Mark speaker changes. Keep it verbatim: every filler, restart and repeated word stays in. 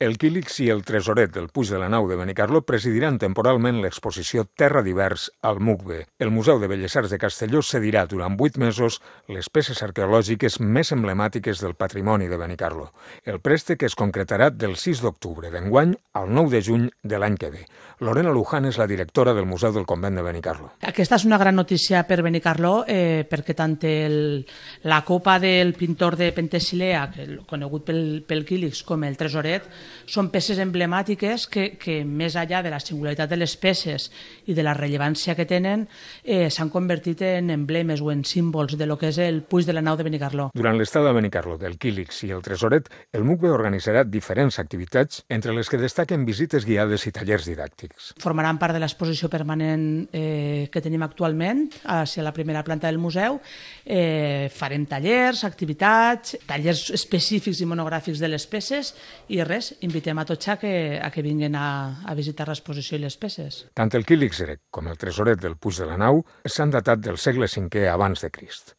Speaker 1: El Quílix i el Tresoret del Puig de la Nau de Benicarló presidiran temporalment l'exposició Terra d'Hivers al M U C B. El Museu de Belles Arts de Castelló cedirà durant vuit mesos les peces arqueològiques més emblemàtiques del patrimoni de Benicarló. El préstec es concretarà del sis d'octubre d'enguany al nou de juny de l'any que ve. Lorena Luján és la directora del Museu del Convent de Benicarló.
Speaker 2: Aquesta és una gran notícia per Benicarló eh, perquè tant el, la copa del pintor de Pentesilea, conegut pel, pel Quílix, com el Tresoret, són peces emblemàtiques que, que més enllà de la singularitat de les peces i de la rellevància que tenen, eh, s'han convertit en emblemes o en símbols de lo que és el Puig de la Nau de Benicarló.
Speaker 1: Durant l'estada a Benicarló del Quílix i el Tresoret, el M U C B organitzarà diferents activitats, entre les que destaquen visites guiades i tallers didàctics.
Speaker 2: Formaran part de l'exposició permanent eh, que tenim actualment a la primera planta del museu. Eh, farem tallers, activitats, tallers específics i monogràfics de les peces i res, invitem a tots a que, a que vinguin a, a visitar l'exposició i les peces.
Speaker 1: Tant el Quílix grec com el Tresoret del Puig de la Nau s'han datat del segle cinquè abans de Crist.